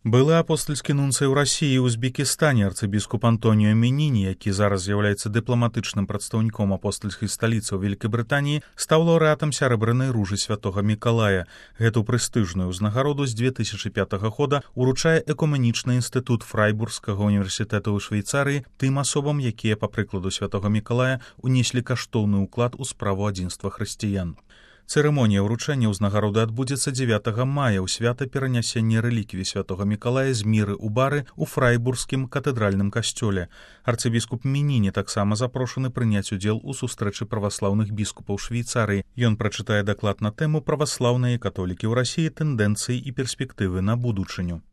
Былы апостальскі нунцый у Расіі і Узбекістане арцыбіскуп Антоніо Меніні, які зараз з'яўляецца дыпламатычным прадстаўніком апостальскай сталіцы ў Вялікабрытаніі, стаў лаўрэатам сярэбранай ружы святога Мікалая. Гэту прэстыжную ўзнагароду з 2005 года уручае экуменічны інстытут Фрайбургскага універсітэта ў Швейцарыі тым асобам, якія, па прыкладу святога Мікалая, унеслі каштоўны ўклад у справу адзінства хрысціян. Цырымонія ўручэння ўзнагароды адбудзецца 9 мая ў свята перанясення рэліквій святога Мікалая з міры ў бары ў Фрайбургскім катэдральным касцёле. Арцыбіскуп Меніні таксама запрошаны прыняць удзел у сустрэчы праваслаўных біскупаў Швейцарыі. Ён прачытае даклад на тэму «Праваслаўныя католікі ў Расіі, тэндэнцыі і перспектывы на будучыню».